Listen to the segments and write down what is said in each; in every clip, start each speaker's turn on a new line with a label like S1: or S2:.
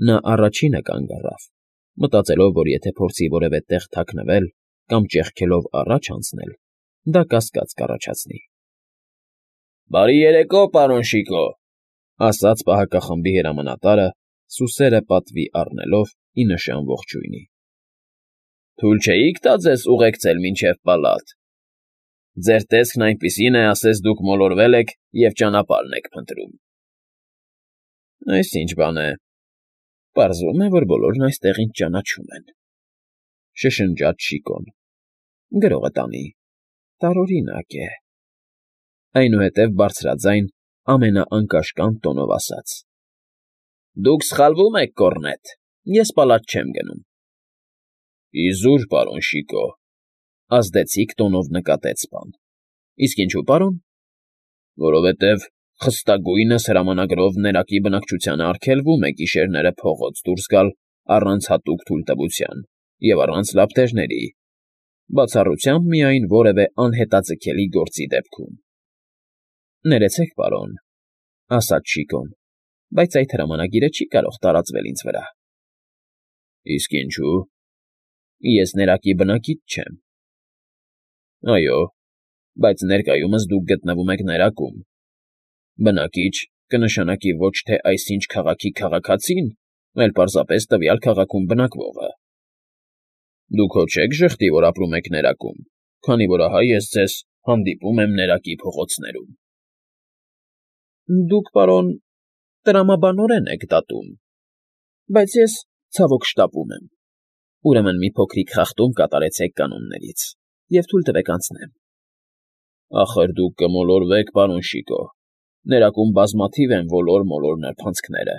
S1: Նա առաջինը կանգ առավ, մտածելով, որ եթե փորձի որևէ տեղ թաքնվել կամ ճեղքելով առաջ անցնել, դա կասկած կառաջացնի։ ֊ Բարի երեկո, պարոն Շիկո,֊ ասաց պահակախմբի հրամանատարը, սուսերը պատվի առնելով ի նշան ողջույնի։ ֊ Թույլ չէի՞ք տա ձեզ ուղեկցել մինչև պալատ։ Ձեր տեսքն այնպիսին է, ասես դուք մոլորվել եք և ճանապարհն եք փնտրում։ ֊ Այս ի՞նչ բան է, պարզվում է, որ բոլորն այստեղ ինձ ճանաչում են,֊ շշնջաց Շիկոն։ ֊ Գրողը տանի, տարօրինակ է… Այնուհետև բարձրաձայն ամենաանկաշկանդ տոնով ասաց. ֊ Դուք սխալվում եք, կոռնետ, ես պալատ չեմ գնում։ ֊ Իզուր, պարոն Շիկո,֊ ազդեցիկ տոնով նկատեց պան։ ֊ Իսկ ինչո՞ւ, պարոն։ ֊ Որովհետև խստագույնս հրամանագրով ներակի բնակչությանը արգելվում է գիշերները փողոց դուրս գալ առանց հատուկ թույլտվության և առանց լապտերների, բացառությամբ միայն որևէ անհետաձգելի գործի դեպքում։ ֊ Ներեցեք, պարոն,֊ ասաց Շիկոն, բայց այդ հրամանագիրը չի կարող տարածվել ինձ վրա։ ֊ Իսկ ինչո՞ւ։ ֊ Ես ներակի բնակիչ չեմ։ ֊ Այո, բայց ներկայումս դուք գտնվում եք ներակում։ Բնակիչ կնշանակի ոչ թե այսինչ քաղաքի քաղաքացին, այլ պարզապես տվյալ քաղաքում բնակվողը։ Դուք հո չեք ժխտի, որ ապրում եք ներակում, քանի որ ահա ես ձեզ հանդիպում եմ ներակի փողոցներում։ ֊ Դուք, պարոն, տրամաբանորեն եք դատում, բայց ես, ցավոք, շտապում եմ, ուրեմն մի փոքրիկ խախտում կատարեցեք կանոններից և թույլ տվեք անցնեմ։ ֊ Ախր դուք կմոլորվեք, պարոն Շիկո, ներակում բազմաթիվ են ոլոր֊մոլոր նրբանցքները,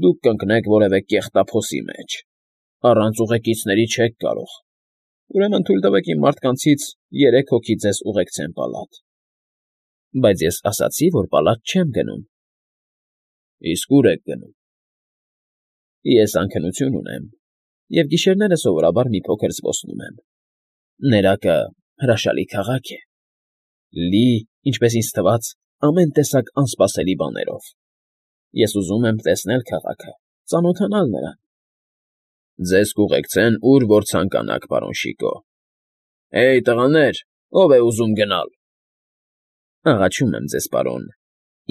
S1: դուք կընկնեք որևէ կեղտափոսի մեջ, առանց ուղեկիցների չեք կարող, ուրեմն թույլ տվեք իմ մարդկանցից 3 հոգի ձեզ ուղեկցեն պալատ։ ֊ Բայց ես ասացի, որ պալատ չեմ գնում։ ֊ Իսկ ո՞ւր եք գնում։ ֊ Ես անքնություն ունեմ և գիշերները սովորաբար մի փոքր զբոսնում եմ։ Ներակը հրաշալի քաղաք է, լի, ինչպես ինձ թվաց, ամեն տեսակ անսպասելի բաներով։ Ես ուզում եմ տեսնել քաղաքը, ծանոթանալ նրան։ ֊ Ձեզ կուղեկցեն, ուր որ ցանկանաք, պարոն Շիկո։ Հեյ, տղաներ, ո՞վ է ուզում գնալ։ ֊ Աղաչում եմ ձեզ, պարոն,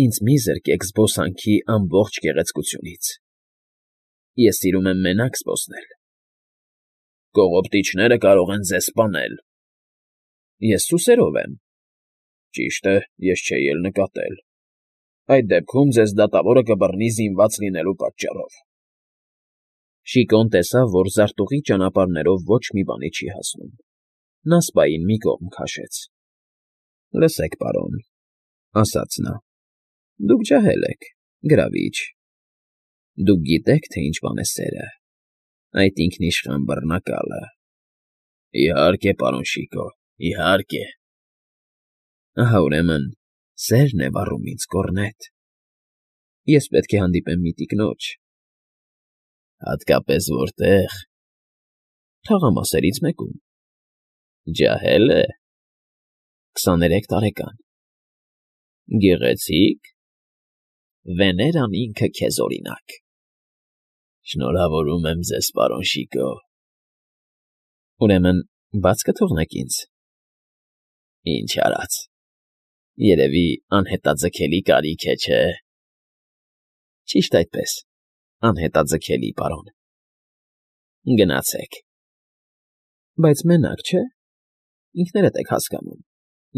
S1: ինձ մի՛ զրկեք զբոսանքի ամբողջ գեղեցկությունից… Ես սիրում եմ մենակ զբոսնել։ ֊ Կողոպտիչները կարող են ձեզ սպանել։ ֊ Ես սուսերով եմ։ ֊ Ճիշտ է, ես չէի էլ նկատել։ Այդ դեպքում ձեզ դատավորը կբռնի զինված լինելու պատճառով։ Շիկոն տեսավ, որ զարտուղի ճանապարհներով ոչ մի բանի չի հասնում։ Նա սպային մի կողմ քաշեց։ ֊ Լսեք, պարոն,֊ ասաց նա,֊ դուք ջահել եք, գրավիչ։ Դուք գիտեք, թե ինչ բան է սերը, այդ ինքնիշխան բռնակալը։ ֊ Իհարկե, պարոն Շիկո, իհարկե։ ֊ Ահա, ուրեմն, սերն է վառում ինձ, կոռնետ… Ես պետք է հանդիպեմ մի տիկնոջ։ ֊ Հատկապես որտե՞ղ։ ֊ Թաղամասերից մեկում։ ֊ Ջահե՞լ է։ ֊ 23 տարեկան։ ֊ Գեղեցի՞կ։ ֊ Վեներան ինքը քեզ օրինակ։ ֊ Շնորհավորում եմ ձեզ, պարոն Շիկո։ ֊ Ուրեմն բաց կթողնեք ինձ։ ֊ Ինչ արած, երևի անհետաձգելի կարիք է, չէ՞։ ֊ Ճիշտ այդպես, անհետաձգելի, պարոն։ ֊ Գնացեք։ ֊ Բայց մենակ, չէ՞։ Ինքներդ եք հասկանում,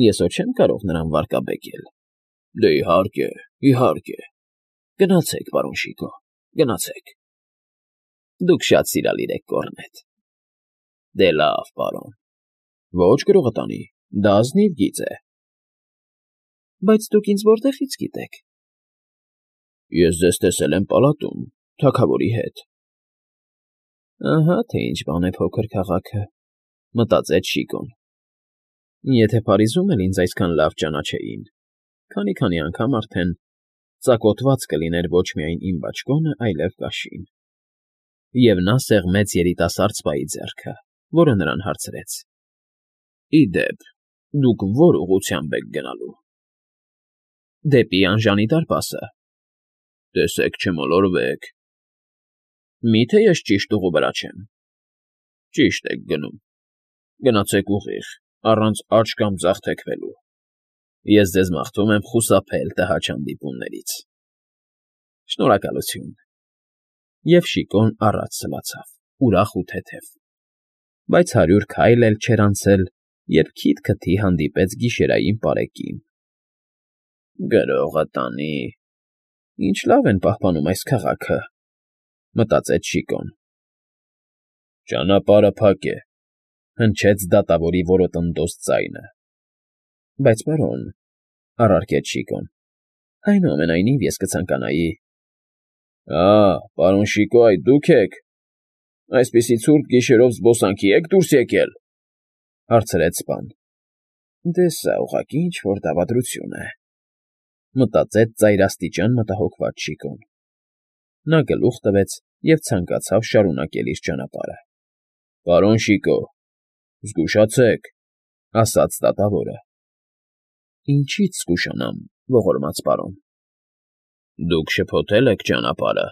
S1: ես հո չեմ կարող նրան վարկաբեկել։ ֊ Դե, իհարկե, իհարկե։ Գնացեք, պարոն Շիկո, գնացեք։ Դուք շատ սիրալիր եք, կոռնետ։ ֊ Դե լավ, պարոն։ ֊ Ոչ, գրողը տանի, դա ազնիվ գիծ է։ ֊ Բայց դուք ինձ որտեղի՞ց գիտեք։ ֊ Ես ձեզ տեսել եմ պալատում, թագավորի հետ։ ֊ Ահա թե ինչ բան է փոքր քաղաքը,֊ մտածեց Շիկոն։ Եթե Փարիզում էլ ինձ այսքան լավ ճանաչեին, քանի անգամ արդեն ծակոտված կլիներ ոչ միայն իմ բաճկոնը, այլև կաշին։ Եվ նա սեղմեց երիտասարդ սպայի ձեռքը, որը նրան հարցրեց. ֊ Ի դեպ, դուք ո՞ր ուղղությամբ եք գնալու։ ֊ Դեպի անժանի դարպասը։ ֊ Տեսեք չմոլորվեք։ Մի՞թե ես ճիշտ ուղու վրա չեմ։ Ճիշտ եք գնում։ Գնացեք ուղիղ, առանց աջ կամ ձախ թեքվելու։ Ես ձեզ մաղթում եմ խուսափել տհաճ հանդիպումներից։ Շնորհակալություն։ Եվ Շիկոն առաջ սլացավ, ուրախ ու թեթև։ Բայց 100 քայլ էլ չէր անցել, երբ քիթ-քթի հանդիպեց գիշերային պարեկին։ Գրողը տանի։ Ինչ լավ են պահպանում այս քաղաքը, մտածեց Շիկոն։ Ճանապարհը փակ է, հնչեց դատավորի որոտնդոս ձայնը։ Բայց պարոն, առարկեց Շիկոն, այնուամենայնիվ ես կցանկանայի։ Պարոն Շիկո, այդ դուք եք։ Այսպիսի ցուրտ գիշերով զբոսանքի եք դուրս եկել, հարցրեց սպան։ Դե սա ուղղակի ինչ-որ դավադրություն է, մտածեց ծայրաստիճան մտահոգված Շիկոն։ Նա գլուխ տվեց և ցանկացավ շարունակել իր ճանապարհը։ Պարոն Շիկո, զգուշացեք, ասաց դատավորը։ Ինչի՞ց զգուշանամ, ողորմած պարոն։ Դուք շփոթել եք ճանապարհը,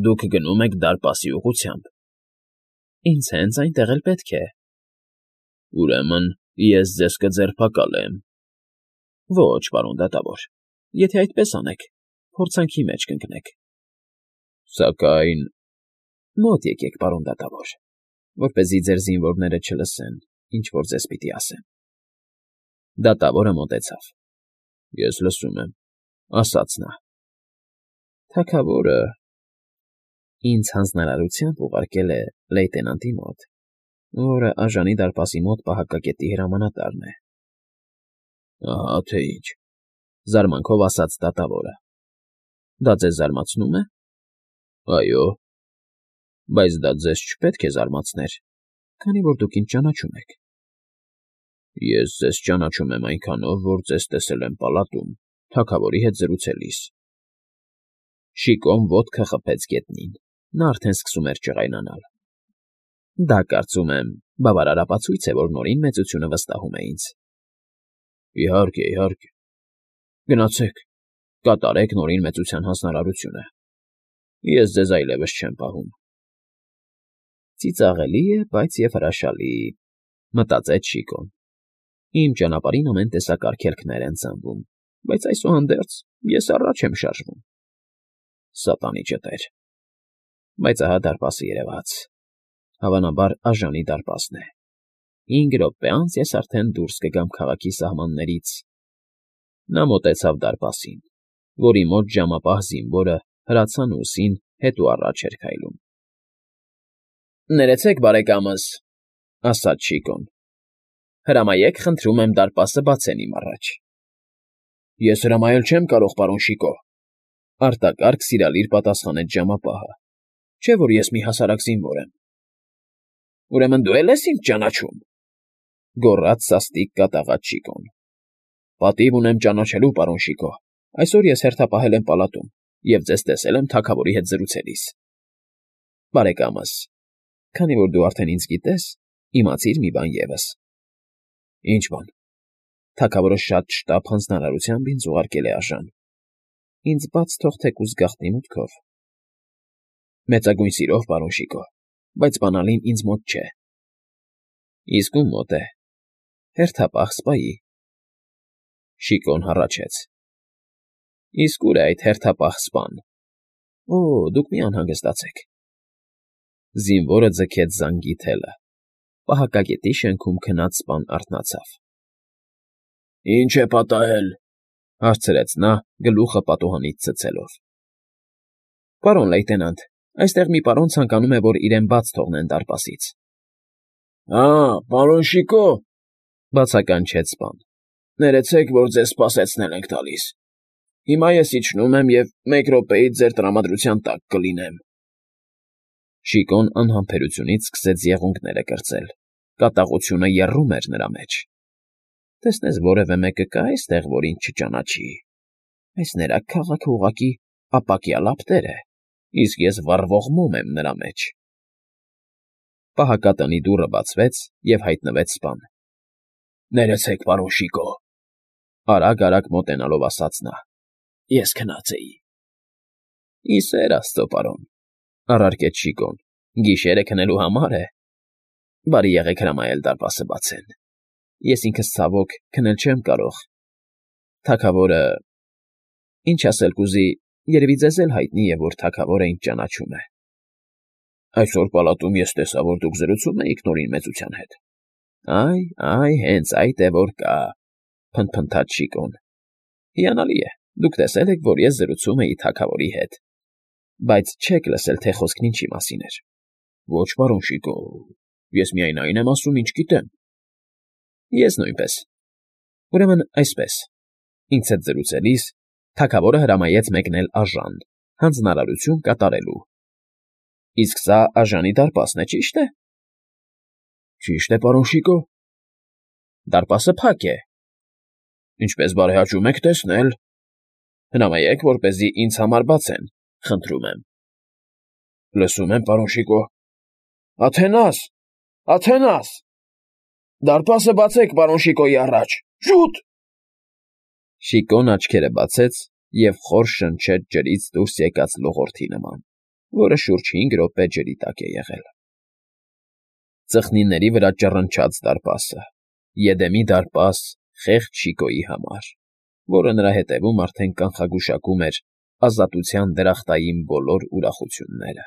S1: դուք գնում եք դարպասի ուղղությամբ։ Ինձ հենց այնտեղ էլ պետք է։ Ուրեմն ես ձեզ կձերբակալեմ։ Ոչ, պարոն դատավոր, եթե այդպես անեք, փորձանքի մեջ կընկնեք։ Սակայն… Մոտ եկեք, պարոն դատավոր, որպեսզի ձեր զինվորները չլսեն, ինչ որ ձեզ պիտի ասեմ։ Դատավորը մոտեցավ։ Ես լսում եմ, ասաց նա։ Թագավորը ինձ հանձնարարությամբ ուղարկել է լեյտենանտի մոտ, որը Աժանի դարպասի մոտ պահակակետի հրամանատարն է։ Ահա թե ինչ, զարմանքով ասաց դատավորը։ Դա ձեզ զարմացնում է։ Այո, բայց դա ձեզ չպետք է զարմացներ, քանի որ դուք ինձ ճանաչում եք։ Ես ձեզ ճանաչում եմ այնքանով, որ ձեզ տեսել եմ պալատում, թագավորի հետ զրուցելիս։ Շիկոն ոտքը խփեց գետնին, նա արդեն սկսում էր ջղայնանալ։ Դա, կարծում եմ, բավարար ապացույց է, որ Նորին մեծությունը վստահում է ինձ։ Իհարկե, իհարկե։ Գնացեք, կատարեք Նորին մեծության հանձնարարությունը։ Ես ձեզ այլևս չեմ պահում։ Ծիծաղելի է, բայց և հրաշալի, մտածեց Շիկոն։ Իմ ճանապարհին ամեն տեսակ արգելքներ են ծնվում, բայց այսուհանդերձ ես առաջ եմ շարժվում։ Սատանի ճտեր։ Բայց ահա դարպասը երևաց։ Հավանաբար Աժանի դարպասն է։ 5 րոպե անց ես արդեն դուրս կգամ քաղաքի սահմաններից։ Նա մոտեցավ դարպասին, որի մոտ ժամապահ զինվորը հրացան ուսին հետ ու առաջ էր քայլում։ Ներեցեք, բարեկամս, ասաց Շիկոն։ Հրամայեք, խնդրում եմ, դարպասը բացեն իմ առաջ։ Ես հրամայել չեմ կարող, պարոն Շիկո, արտակարգ սիրալիր պատասխանեց ժամապահը։ Չէ՞ որ ես մի հասարակ զինվոր եմ։ Ուրեմն դու էլ ես ինձ ճանաչում, գոռաց սաստիկ կատաղած Շիկոն։ Պատիվ ունեմ ճանաչելու, պարոն Շիկո։ Այսօր ես հերթապահել եմ պալատում և ձեզ տեսել եմ թագավորի հետ զրուցելիս։ Բարեկամս, քանի որ դու արդեն ինձ գիտես, իմացիր մի բան ևս։ Ինչ բան։ Թագավորը շատ շտապ հանձնարարությամբ ինձ ուղարկել է Աժան։ Ինձ բաց թող թեկուզ գաղտնի մուտքով։ Մեծագույն սիրով, պարոն Շիկո, բայց բանալին ինձ մոտ չէ։ Իսկ ում մոտ է։ Հերթապահ սպայի։ Շիկոն հառաչեց։ Իսկ ուր է այդ հերթապահ սպան։ Օ, դուք մի անհանգստացեք։ Զինվորը ձգեց զանգի թելը։ Պահակակետի շենքում քնած սպան արթնացավ։ Ինչ է պատահել, հարցրեց նա, գլուխը պատուհանից ցցելով։ Պարոն լեյտենանտ, այստեղ մի պարոն ցանկանում է, որ իրեն բաց թողնեն դարպասից։ Պարոն Շիկո, բացականչեց սպան։ Ներեցեք, որ ձեզ սպասեցնել ենք տալիս։ Հիմա ես իջնում եմ և 1 րոպեից ձեր տրամադրության տակ կլինեմ։ Շիկոն անհամբերությունից սկսեց եղունգները կրծել։ Կատաղությունը եռում էր նրա մեջ։ Տեսնես որևէ մեկը կա այստեղ, որ ինձ չճանաչի։ Այս նրա քաղաքը ուղղակի ապակյալ ապտեր է, իսկ ես վառվողմում եմ նրա մեջ։ Պահակատանի դուռը բացվեց և հայտնվեց սպան։ Ներեցեք, պարոն Շիկո, արագ մոտենալով ասաց նա։ Ես քնած էի։ Ի սեր Աստծո, պարոն, Առարկեց Շիկոն։ Գիշերը քնելու համար է։ Բարի եղեք հրամայել դարպասը բացեն։ Ես ինքս ցավոք քնել չեմ կարող։ Թագավորը… Ինչ ասել կուզի, երևի ձեզ էլ հայտնի է, որ թագավորը ինձ ճանաչում է։ Այսօր պալատում ես տեսա, որ դուք զրուցում էիք Նորին մեծության հետ։ Այ, հենց այդ է որ կա, փնթփնթաց Շիկոն։ Հիանալի է, դուք տեսել եք, որ ես զրուցում էի թագավորի հետ, բայց չեք լսել, թե խոսքն ինչի մասին էր։ Ոչ, պարոն Շիկո, ես միայն այն եմ ասում, ինչ գիտեմ։ Ես նույնպես։ Ուրեմն այսպես, ինձ հետ զրուցելիս թագավորը հրամայեց մեկնել արժան, հանձնարարություն կատարելու։ Իսկ սա արժանի դարպասն է, ճիշտ է։ Ճիշտ է, պարոն Շիկո։ Դարպասը փակ է։ Ինչպես բարեհաճում եք տեսնել։ Հրամայեք, որպեսզի ինձ համար բացեն, խնդրում եմ։ Լսում եմ, պարոն Շիկո։ Աթենաս, Աթենաս։ Դարպասը բացեք, պարոն Շիկոյի առաջ։ Շուտ։ Շիկոն աչքերը բացեց և խոր շնչեց ջրից դուրս եկած լողորդի նման, որը շուրջ 5 րոպե ջրի տակ է եղել։ Ծխնիների վրա ճռնչաց դարպասը, Եդեմի դարպաս խեղճ Շիկոյի համար, որը նրա հետևում արդեն կանխագուշակում էր ազատության դրախտային բոլոր ուրախությունները։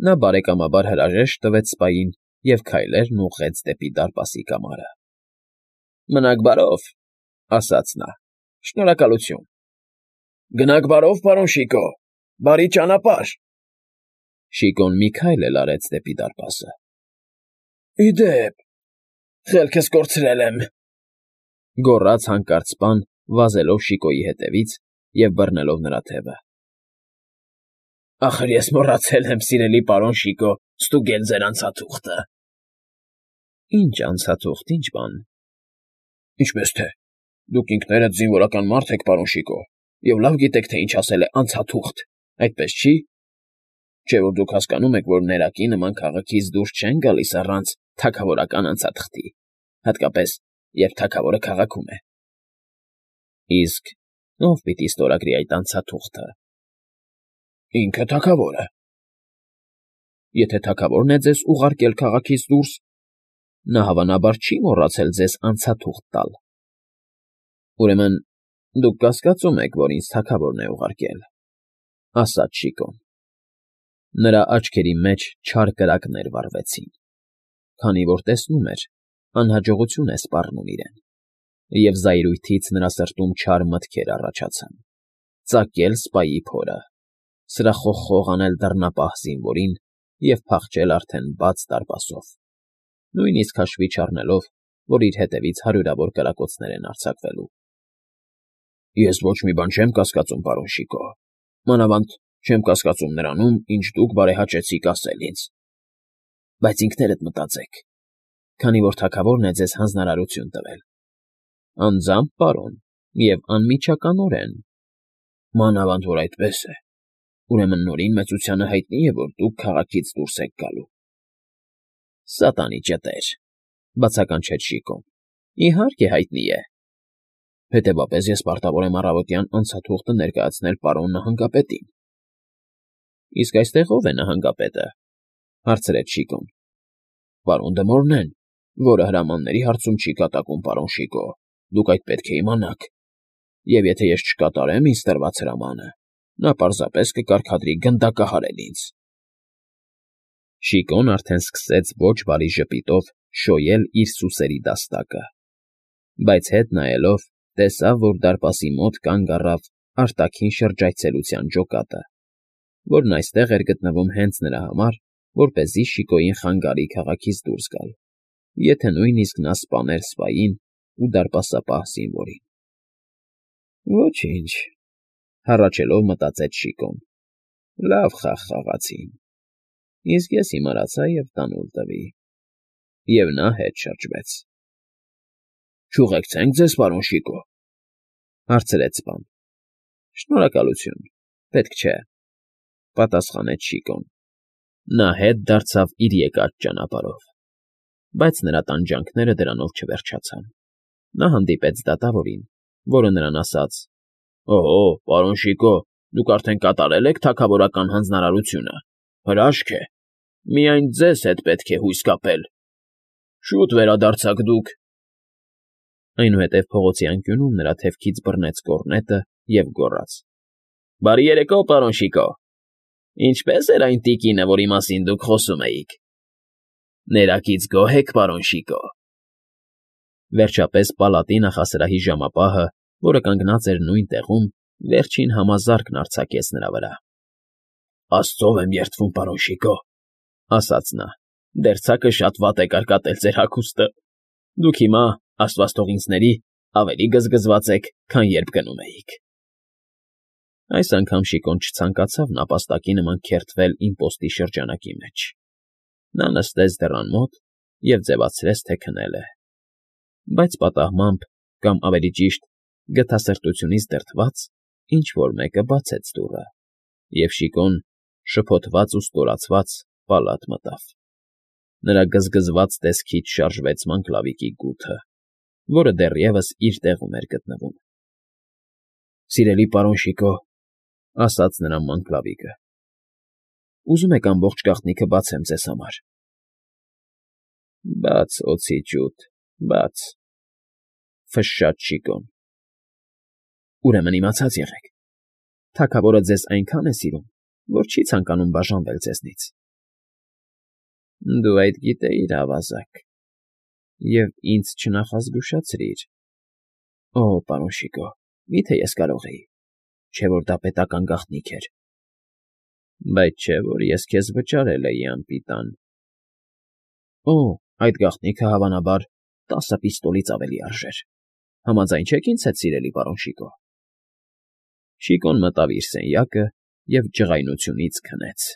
S1: Նա բարեկամաբար հրաժեշտ տվեց սպային և քայլերն ուղղեց դեպի դարպասի կամարը։ Մնաք բարով, ասաց նա։ Շնորհակալություն։ Գնաք բարով, պարոն Շիկո, բարի ճանապարհ։ Շիկոն մի քայլ էլ արեց դեպի դարպասը։ Իդեպ, խելքս կորցրել եմ, գոռաց հանկարծ սպան, վազելով Շիկոյի հետևից և բռնելով նրա թևը։ Ախր ես մոռացել եմ, սիրելի պարոն Շիկո, ստուգել ձեր անցաթուղթը։ Ինչ անցաթուղթ, ինչ բան։ Ինչպես թե, դուք ինքներդ զինվորական մարդ եք, պարոն Շիկո, և լավ գիտեք, թե ինչ ասել է անցաթուղթ, այդպես չի։ Չէ՞ որ դուք հասկանում եք, որ ներակի նման քաղաքից դուրս չեն գալիս առանց թագավորական անցաթղթի, հատկապես, երբ թագավորը քաղաքում է։ Իսկ ո՞վ պիտի ստորագրի այդ անցաթուղթը։ Ինքը թագավորը։ Եթե թագավորն է ձեզ ուղարկել քաղաքից դուրս, նա հավանաբար չի մոռացել ձեզ անցաթուղթ տալ։ Ուրեմն դուք կասկածում եք, որ ինձ թագավորն է ուղարկել, ասաց Շիկոն։ Նրա աչքերի մեջ չար կրակներ վառվեցին, քանի որ տեսնում էր, անհաջողություն է սպառնում իրեն, և զայրույթից նրա սրտում չար մտքեր առաջացան։ Ծակել սպայի փորը, սրախողխող անել դռնապահ զինվորին և փախչել արդեն բաց դարպասով, նույնիսկ հաշվի չառնելով, որ իր հետևից հարյուրավոր կրակոցներ են արձակվելու։ Ես ոչ մի բան չեմ կասկածում, պարոն Շիկո, մանավանդ չեմ կասկածում նրանում, ինչ դուք բարեհաճեցիք ասել ինձ։ Բայց ինքներդ մտածեք, քանի որ թագավորն է ձեզ հանձնարարություն տվել։ Անձամբ, պարոն, և անմիջականորեն։ Մանավանդ որ այդպես է, ուրեմն Նորին մեծությանը հայտնի է, որ դուք քաղաքից դուրս եք գալու։ Սատանի ճտեր, բացականչեց Շիկոն։ Իհարկե հայտնի է։ Հետևաբար ես պարտավոր եմ առավոտյան անցաթուղթը ներկայացնել պարոն նահանգապետին։ Իսկ այստեղ ո՞վ է նահանգապետը, հարցրեց Շիկոն։ Պարոն Դմորնեն, որը հրամանների հարցում չի կատակում, պարոն Շիկո, դուք այդ պետք է իմանաք։ Եվ եթե ես չկատարեմ ինձ տրված հրամանը, նա պարզապես կկարգադրի գնդակահարել ինձ։ Շիկոն արդեն սկսեց ոչ բարի ժպիտով շոյել իր սուսերի դաստակը, բայց հետ նայելով տեսավ, որ դարպասի մոտ կանգ առավ արտաքին շրջայցելության ջոկատը, որն այստեղ էր գտնվում հենց նրա համար, որպեսզի Շիկոյին խանգարի քաղաքից դուրս գալ, եթե նույնիսկ նա սպաներ սպային ու դարպասապահ զինվորին։ Ոչինչ, հառաչելով մտածեց Շիկոն։ Լավ խաղ խաղացին։ Իսկ ես հիմարացա և տանուլ տվի։ Եվ նա հետ շրջվեց։ Չուղեկցե՞նք ձեզ, պարոն Շիկո, հարցրեց սպան։ Շնորհակալություն, պետք չէ, պատասխանեց Շիկոն։ Նա հետ դարձավ իր եկած ճանապարհով, բայց նրա տանջանքները դրանով չվերջացան։ Նա հանդիպեց դատավորին, որը նրան ասաց. Օհո, պարոն Շիկո, Դուք արդեն կատարել եք թագավորական հանձնարարությունը։ Հրաշք է։ Միայն ձեզ հետ պետք է հույս կապել։ Շուտ վերադարձաք դուք։ Այնուհետև փողոցի անկյունում նրա թևքից բռնեց կոռնետը և գոռաց. Բարի երեկո, պարոն Շիկո։ Ինչպե՞ս էր այն տիկինը, որի մասին դուք խոսում էիք։ Ներակից գոհ եք, պարոն Շիկո։ Վերջապես պալատի նախասրահի ժամապահը, որը կանգնած էր նույն տեղում, վերջին համազարկն արձակեց նրա վրա։ Աստծով եմ երդվում, պարոն Շիկո, ասաց նա, դերձակը շատ վատ է կարկատել ձեր հագուստը։ Դուք հիմա, աստված թող ինձ ների, ավելի գզգզված եք, քան երբ գնում էիք։ Այս անգամ Շիկոն չցանկացավ նապաստակի նման քերթվել իմպոստի շրջանակի մեջ։ Նա նստեց դռան մոտ և ձևացրեց, թե քնել է։ Բայց պատահմամբ, կամ ավելի ճիշտ, գթասրտությունից դրդված, ինչ֊որ մեկը բացեց դուռը, և Շիկոն, շփոթված ու ստորացված, պալատ մտավ։ Նրա գզգզված տեսքից շարժվեց մանգլավիկի գութը, որը դեռևս իր տեղում էր գտնվում։ Սիրելի պարոն Շիկո, ասաց նրան մանգլավիկը, ուզում եք ամբողջ գաղտնիքը բացեմ ձեզ համար։ Բաց, օձի ջութ, բաց, ֆշշաց Շիկոն։ Ուրեմն իմացած եղեք, թագավորը ձեզ այնքան է սիրում, որ չի ցանկանում բաժանվել ձեզնից։ Դու այդ գիտեիր, ավազակ, և ինձ չնախազգուշացրիր։ Օ, պարոն Շիկո, միթե ես կարող էի, չէ՞ որ դա պետական գաղտնիք էր։ Բայց չէ՞ որ ես քեզ վճարել էի, անպիտան։ Օ, այդ գաղտնիքը, հավանաբար, 10 պիստոլից ավելի արժեր։ Համաձայն չեք ինձ հետ, սիրելի պարոն Շիկո։ Շիկոն մտավ իր սենյակը և ջղայնությունից քնեց։